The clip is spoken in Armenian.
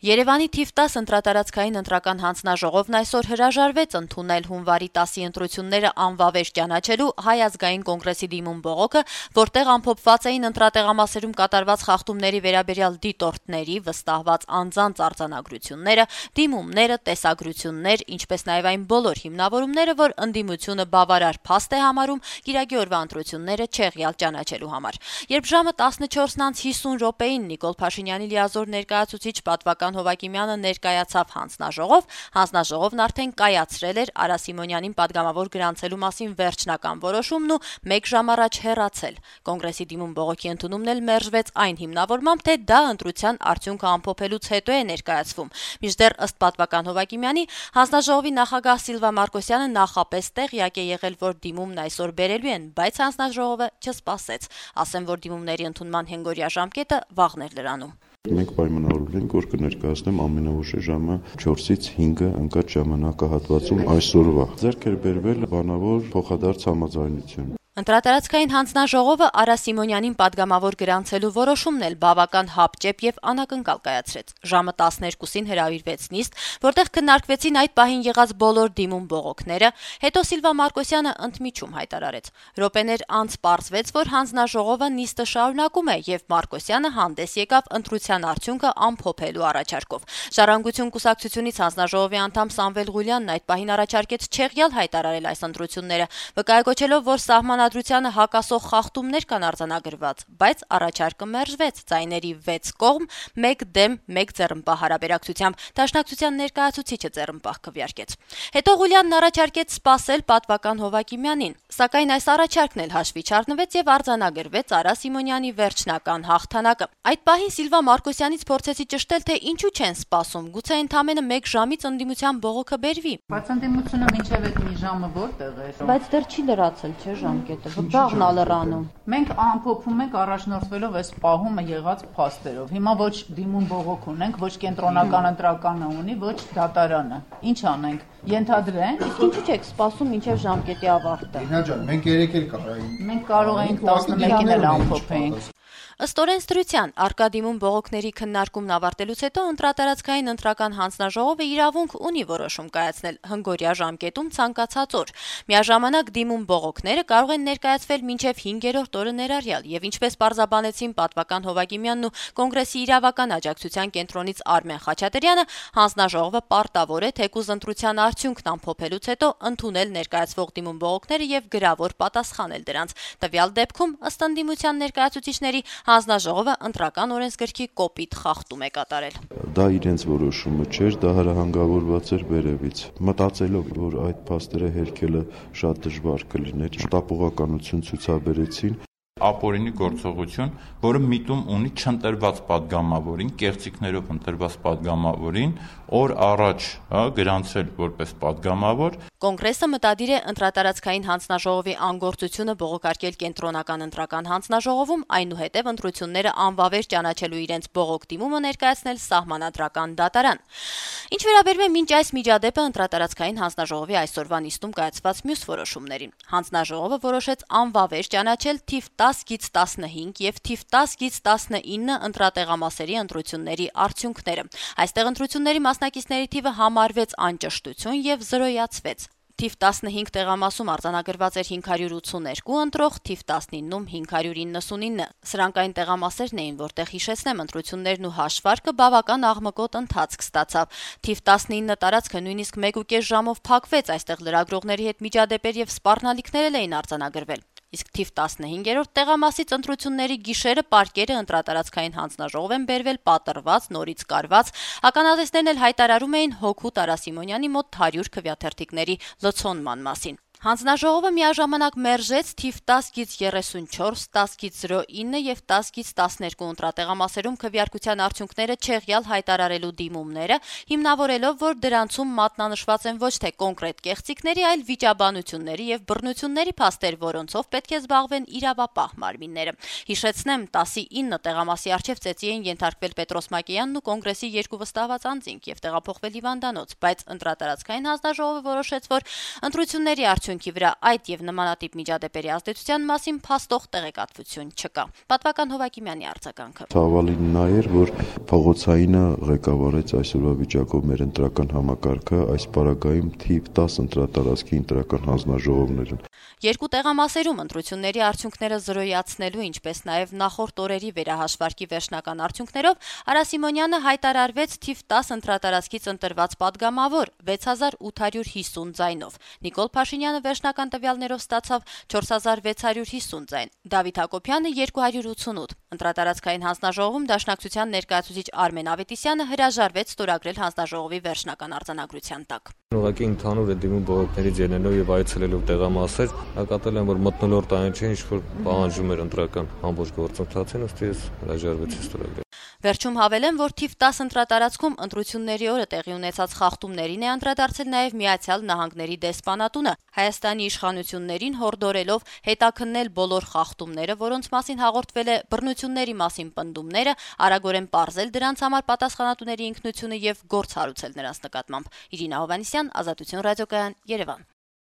Երևանի թիվ 10 ընտրատարածքային ընտրական հանձնաժողովն այսօր հրաժարվեց ընդունել հունվարի 10-ի ընտրությունները անվավեր ճանաչելու Հայ ազգային կոնգրեսի դիմում բողոքը, որտեղ ամփոփված էին ընտրատեղամասերում կատարված խախտումների վերաբերյալ դիտորդների վստահված անձանց արձանագրությունները, դիմումները, տեսագրություններ, ինչպես նաև այն բոլոր հիմնավորումները, որ ընդդիմությունը բավարար փաստ է համարում գիրագի օրվա ընտրությունները չեղյալ ճանաչելու համար։ Երբ ժամը 14:50 րոպեին Նիկոլ Փաշինյանի լիազոր ներկայացուցիչ պատվական Հովակիմյանը ներկայացավ հանձնաժողովն արդեն կայացրել էր Արա Սիմոնյանին պատգամավոր գրանցելու մասին վերջնական որոշումն ու 1 ժամ առաջ հեռացել։ Կոնգրեսի դիմում բողոքի ընդունումն էլ մերժվեց այն հիմնավորմամբ, թե դա ընտրության արդյունքը ամփոփելուց հետո է ներկայացվում։ Մինչդեռ ըստ պատվական Հովակիմյանի, հանձնաժողովի նախագահ Սիլվա Մարկոսյանը նախապես տեղյակ է եղել, որ դիմումն այսօր բերելու են, բայց հանձնաժողովը չսպասեց։ Ասեմ, որ դիմումների ընդունման հենգորյա ժամկետը վաղն էր լրանում։ Մենք պայմանավորվել ենք, որ կներկայացնեմ ամենաուշ ժամը 4-ից 5-ը ընկած ժամանակահատվածում այսօրվա։ Ձեռք էր բերվել բանավոր փոխադարձ համաձայնություն։ Ընտրատարածքային հանձնաժողովը Արա Սիմոնյանին պատգամավոր գրանցելու որոշումն էլ բավական հապճեպ եւ անակնկալ կայացրեց։ Ժամը 12-ին հրավիրվեց նիստ, որտեղ քննարկվեցին այդ պահին եղած բոլոր դիմում բողոքները, հետո Սիլվա Մարկոսյանը ընդմիջում հայտարարեց։ Րոպեներ անց պարզվեց, որ հանձնաժողովը նիստը շարունակում է եւ Մարկոսյանը հանդես եկավ ընտրության արդյունքը ամփոփելու առաջարկով։ Ժառանգություն կուսակցությունից հանձնաժողովի անդամ Սամվել Ղուլյանն այդ պահին առաջարկեց չեղյալ հայտարարել այս ընտրությունները, վկայակոչելով, որ սահմանադրությանը հակասող խախտումներ կան արձանագրված, բայց առաջարկը մերժվեց ձայների 6 կողմ, 1 դեմ, 1 ձեռնպահ հարաբերակցությամբ։ Դաշնակցության ներկայացուցիչը ձեռնպահ քվեարկեց։ Հետո Ղուլյանն առաջարկեց սպասել պատվական Հովակիմյանին, սակայն այս առաջարկն էլ հաշվի չառնվեց եւ արձանագրվեց Արա Սիմոնյանի վերջնական հաղթանակը։ Այդ պահին Սիլվա Մարկոսյանից փորձեցի ճշտել, թե ինչու չեն սպասում, գուցե ընդամենը 1 ժամից ընդդիմության բողոքը բերվի։ Բայց ընդդիմությունը մինչև այդ մի ժամը որտեղ է։ Բայց դեռ չի լրացել, չէ՞ ժամկետը, վաղն ալռանում։ Մենք ամփոփում ենք առաջնորդվելով այս պահումը եղած փաստերով։ Հիմա ոչ դիմում բողոք ունենք, ոչ կենտրոնական ընտրականը ունի, ոչ դատարանը։ Ինչ անենք։ Ենթադրենք։ Իսկ ինչու՞ չեք սպասում մինչև ժամկետի ավարտը։ Ինա ջան, մենք երեք էլ կարայինք։ Մենք կարող ենք 11-ին էլ ամփոփենք։ Ըստ օրենսդրության, առկա դիմում բողոքների քննարկումն ավարտելուց հետո ընտրատարածքային ընտրական հանձնաժողովը իրավունք ունի որոշում կայացնել հնգորյա ժամկետում ցանկացած օր։ Միաժամանակ դիմում բողոքները կարող են ներկայացվել մինչև 5-րդ օրը ներառյալ, եւ ինչպես պարզաբանեցին պատվական Հովակիմյանն ու կոնգրեսի իրավական աջակցության կենտրոնից Արմեն Խաչատրյանը, հանձնաժողովը պարտավոր է թեկուզ ընտրության արդյունքն ամփոփելուց հետո ընդունել ներկայացվող դիմում բողոքները եւ գրավոր պատասխանել դրանց։ Տվյալ դեպքում ըստ ընդդիմության ներկայացուցիչների հանձնաժողովը ընտրական օրենսգրքի կոպիտ խախտում է կատարել։ Դա իրենց որոշումը չէր, դա հրահանգավորված էր վերևից։ Մտածելով, որ այդ փաստերը հերքելը շատ դժվար կլիներ, շտապողականություն ցուցաբերեցին։ Ապօրինի գործողություն, որը միտում ունի չընտրված падգամավորին, կեղծիքներով ընտրված падգամավորին, օր առաջ գրանցել որպես падգամավոր։ Կոնգրեսը մտադիր է ընտրատարածքային հանձնաժողովի անգործությունը բողոքարկել կենտրոնական ընտրական հանձնաժողովում, այնուհետև ընտրությունները անվավեր ճանաչելու իրենց բողոք դիմումը ներկայացնել սահմանադրական դատարան։ Ինչ վերաբերում է մինչ այս միջադեպը ընտրատարածքային հանձնաժողովի այսօրվա նիստում կայացված մյուս որոշումներին։ Հանձնաժողովը որոշեց անվավեր ճանաչել թիվ 10-15 եւ թիվ 10-19 ընտրատեղամասերի ընտրությունների արդյունքները։ Այստեղ ընտրությունների մասնակիցների թիվը համարվեց անճշտություն եւ զրոյացվեց։ Թիվ 15 տեղամասում արձանագրված էր 582 ընտրող, թիվ 19-ում 599։ Սրանք այն տեղամասերն էին, որտեղ հիշեցնեմ ընտրություններն ու հաշվարկը բավական աղմկոտ ընթացք ստացավ։ Թիվ 19 տարածքը նույնիսկ 1.5 ժամով փակվեց, այստեղ լրագրողների հետ միջադեպեր եւ սպառնալիքներ էին արձանագրվել։ Իսկ թիվ 15-րդ տեղամասից ընտրությունների գիշերը պարկերը ընտրատարածքային հանձնաժողով են բերվել պատռված, նորից կարված, ականատեսներն էլ հայտարարում էին հօգուտ Արա Սիմոնյանի մոտ 100 քվեաթերթիկների լցոնման մասին։ Հանձնաժողովը միաժամանակ մերժեց թիվ 10-34, 10-09 եւ 10-12 ընտրատեղամասերում քվեարկության արդյունքները չեղյալ հայտարարելու դիմումները, հիմնավորելով, որ դրանցում մատնանշված են ոչ թե կոնկրետ կեղծիքների, այլ վիճաբանությունների եւ բռնությունների փաստեր, որոնցով պետք է զբաղվեն իրավապահ մարմինները։ Հիշեցնեմ, 10-9 տեղամասի առջև ծեծի էին ենթարկվել Պետրոս Մակեյանն ու կոնգրեսի 2 վստահված անձինք եւ տեղափոխվել հիվանդանոց, բայց ընտրատարածքային հանձնաժողովը որոշեց, որ ընտրությունների արդյունքը արդյունքի վրա այդ եւ նմանատիպ միջադեպերի ազդեցության մասին փաստող տեղեկատվություն չկա։ Պատվական Հովակիմյանի արձագանքը. Ցավալին նա էր, որ փողոցայինը ղեկավարեց այսօրվա վիճակով մեր ընտրական համակարգը, այս պարագայում թիվ 10 ընտրատարածքի ընտրական հանձնաժողովներ են։ Երկու տեղամասերում ընտրությունների արդյունքները զրոյացնելու, ինչպես նաև նախորդ օրերի վերահաշվարկի վերջնական արդյունքներով Արա Սիմոնյանը հայտարարվեց թիվ 10 ընտրատարածքից ընտրված падգամավոր 6850 ձայնով։ Նիկոլ Փաշինյանը վերջնական տվյալներով ստացավ 4650 ձայն, Դավիթ Հակոբյանը 288։ Ընտրատարածքային հանձնաժողովում Դաշնակցության ներկայացուցիչ Արմեն Ավետիսյանը հրաժարվեց ստորագրել հանձնաժողովի վերջնական արձանագրության տակ։ Ուղղակի ընդհանուր է դիմում բողոքներից ելնելով եւ այցելելով տեղամասեր, նկատել եմ, որ մթնոլորտ այն չէ, ինչ որ պահանջում էր ընտրական ամբողջ գործընթացին, ըստ էս հրաժարվեցի ստորագրել։ Վերջում հավելեմ, որ թիվ 10 ընտրատարածքում ընտրությունների օրը տեղի ունեցած խախտումներին է անդրադարձել նաև Միացյալ Նահանգների դեսպանատունը, Հայաստանի իշխանություններին հորդորելով հետաքննել բոլոր խախտումները, որոնց մասին հաղորդվել է բռնությունների մասին պնդումները, արագորեն պարզել դրանց համար պատասխանատուների ինքնությունը եւ գործ հարուցել նրանց նկատմամբ։ Իրինա Հովհաննիսյան, Ազատություն ռադիոկայան, Երևան։